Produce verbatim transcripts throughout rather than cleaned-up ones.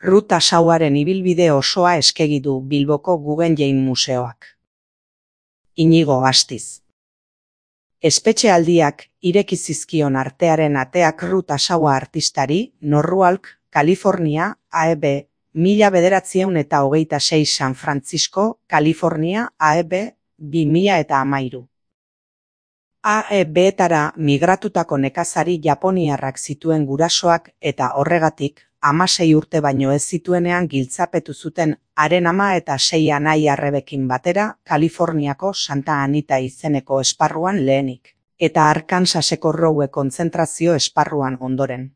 Ruth Asauaren ibilbide osoa eskegi du Bilboko Guggenheim Museoak. Inigo Astiz. Espetxealdiak ireki zizkion artearen ateak Ruth Asaua artistari, Norwalk, Kalifornia, A E B, mila bederatziehun eta hogeita sei San Francisco, Kalifornia, A E B, bi mila eta hamairu. A E B-etara migratutako nekazari japoniarrak zituen gurasoak eta horregatik, hamasei urte baino ez zituenean giltzapetu zuten haren ama eta sei anai arrebekin batera Kaliforniako Santa Anita izeneko esparruan lehenik, eta Arkansaseko Rowe kontzentrazio esparruan ondoren.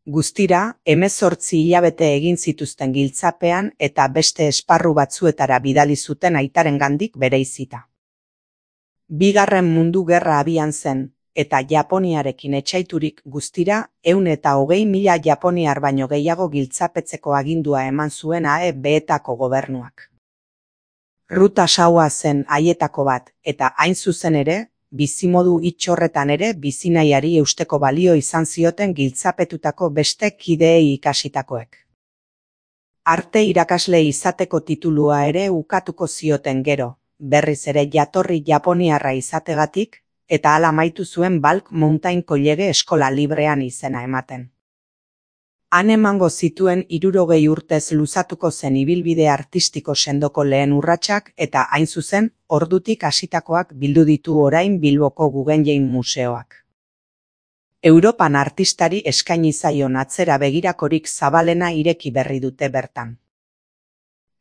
Guztira, hemezortzi hilabete egin zituzten giltzapean eta beste esparru batzuetara bidali zuten aitarengandik bereizita. Bigarren Mundu Gerra abian zen, eta Japoniarekin etsaiturik guztira ehun eta hogei mila japoniar baino gehiago giltzapetzeko agindua eman zuen A E B-etako gobernuak. Ruth Asaua zen haietako bat, eta hain zuzen ere, bizimodu itxorretan ere bizinahiari eusteko balio izan zioten giltzapetutako beste kideei ikasitakoek. Arte irakasle izateko titulua ere ukatuko zioten gero, berriz ere jatorri japoniarra izategatik, eta hala amaitu zuen Balk Mountain College eskola librean izena ematen. Han emango zituen hirurogei urtez luzatuko zen ibilbide artistiko sendoko lehen urratsak eta hain zuzen, ordutik hasitakoak bildu ditu orain Bilboko Guggenheim Museoak. Europan artistari eskaini zaion atzera begirakorik zabalena ireki berri dute bertan.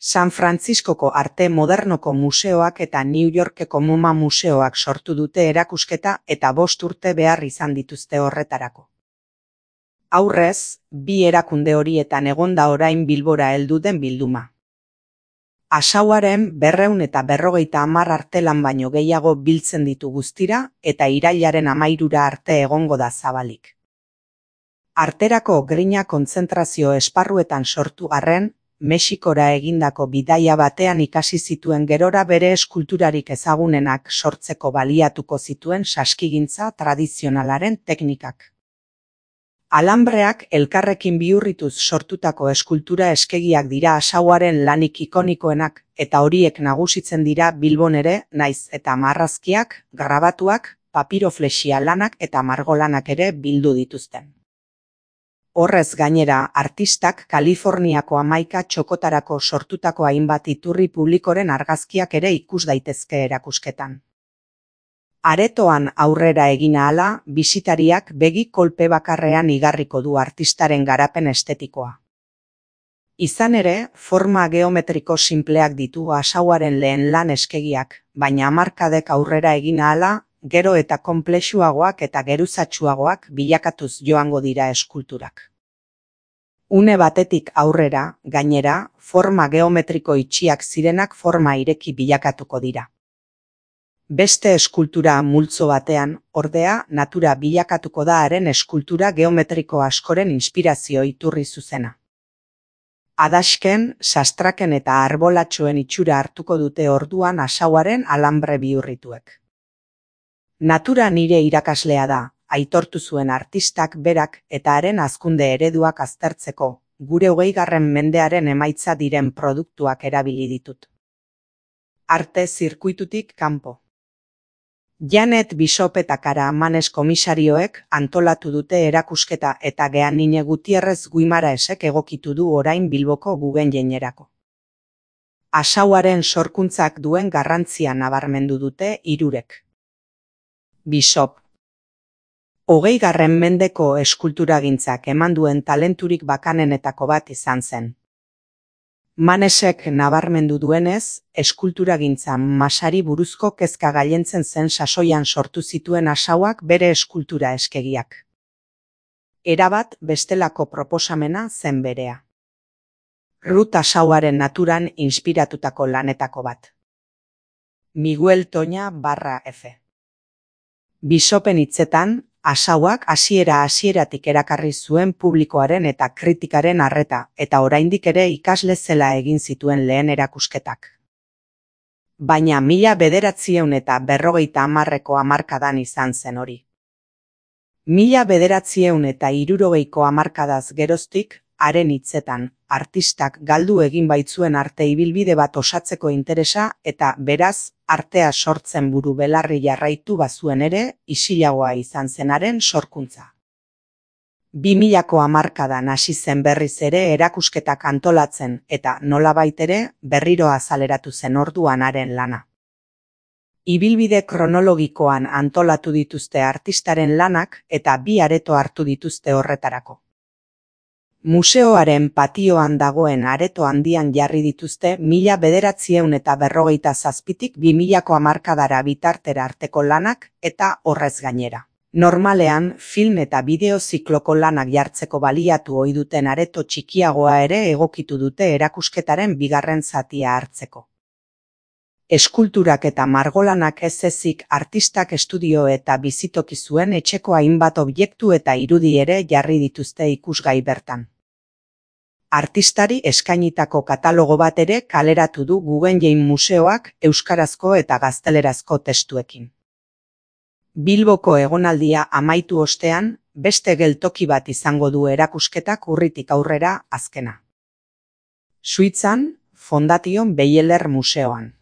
San Franciscoko Arte Modernoko Museoak eta New Yorkeko MoMA Museoak sortu dute erakusketa eta bost urte behar izan dituzte horretarako. Aurrez, bi erakunde horietan egonda orain Bilbora heldu den bilduma. Asauaren berrehun eta berrogeita hamar artelan baino gehiago biltzen ditu guztira eta irailaren hamairura arte egongo da zabalik. Arterako grina kontzentrazio esparruetan sortu arren, Mexikora egindako bidaia batean ikasi zituen gerora bere eskulturarik ezagunenak sortzeko baliatuko zituen saskigintza tradizionalaren teknikak. Alambreak elkarrekin bihurrituz sortutako eskultura eskegiak dira Asauaren lanik ikonikoenak eta horiek nagusitzen dira Bilbon ere, naiz eta marrazkiak, grabatuak, papiroflexia lanak eta margolanak ere bildu dituzten. Horrez gainera, artistak Kaliforniako hamaika txokotarako sortutako hainbat iturri publikoren argazkiak ere ikus daitezke erakusketan. Aretoan aurrera egin ahala, bisitariak begi kolpe bakarrean igarriko du artistaren garapen estetikoa. Izan ere, forma geometriko sinpleak ditu Asauaren lehen lan eskegiak, baina hamarkadek aurrera egin ahala, gero eta konplexuagoak eta geruzatsuagoak bilakatuz joango dira eskulturak. Une batetik aurrera, gainera, forma geometriko itxiak zirenak forma ireki bilakatuko dira. Beste eskultura multzo batean, ordea, natura bilakatuko da haren eskultura geometriko askoren inspirazio iturri zuzena. Adasken, sastraken eta arbolatxoen itxura hartuko dute orduan Asauaren alambre bihurrituek. Natura nire irakaslea da, aitortu zuen artistak berak eta haren hazkunde ereduak aztertzeko, gure hogeigarren mendearen emaitza diren produktuak erabili ditut. Arte zirkuitutik kanpo. Janet Bishop eta Kara Manes komisarioek antolatu dute erakusketa eta Geanine Gutierrez Guimaraesek egokitu du orain Bilboko Guggenheimerako. Asauaren sorkuntzak duen garrantzia nabarmendu dute hirurek. Bishop. Hogeigarren mendeko eskulturagintzak eman duen talenturik bakanenetako bat izan zen. Manesek nabarmendu duenez, eskulturagintza masari buruzko kezka gailentzen zen sasoian sortu zituen Asauak bere eskultura eskegiak. Erabat bestelako proposamena zen berea. Ruth Asauaren naturan inspiratutako lanetako bat. Miguel Toña barra F. Bishopen hitzetan, Asauak hasiera hasieratik erakarri zuen publikoaren eta kritikaren arreta, eta oraindik ere ikasle zela egin zituen lehen erakusketak. Baina mila bederatziehun eta berrogeita hamarreko hamarkadan izan zen hori. Mila bederatziehun eta hirurogeiko hamarkadaz geroztik, haren hitzetan, artistak galdu egin baitzuen arte ibilbide bat osatzeko interesa eta beraz, artea sortzen buru belarri jarraitu bazuen ere, isilagoa izan zenaren sorkuntza. bi milako hamarkadan hasi zen berriz ere erakusketak antolatzen eta nolabait ere berriro azaleratu zen orduan haren lana. Ibilbide kronologikoan antolatu dituzte artistaren lanak eta bi areto hartu dituzte horretarako. Museoaren patioan dagoen areto handian jarri dituzte mila bederatziehun eta berrogeita zazpitik bi milako hamarkadara bitartera arteko lanak eta horrez gainera. Normalean, film eta bideo zikloko lanak jartzeko baliatu ohi duten areto txikiagoa ere egokitu dute erakusketaren bigarren zatia hartzeko. Eskulturak eta margolanak ez ezik artistak estudio eta bizitoki zuen etxeko hainbat objektu eta irudi ere jarri dituzte ikusgai bertan. Artistari eskainitako katalogo bat ere kaleratu du Guggenheim Museoak euskarazko eta gaztelerazko testuekin. Bilboko egonaldia amaitu ostean, beste geltoki bat izango du erakusketak urritik aurrera azkena. Suitzan, Fondation Beyeler Museoan.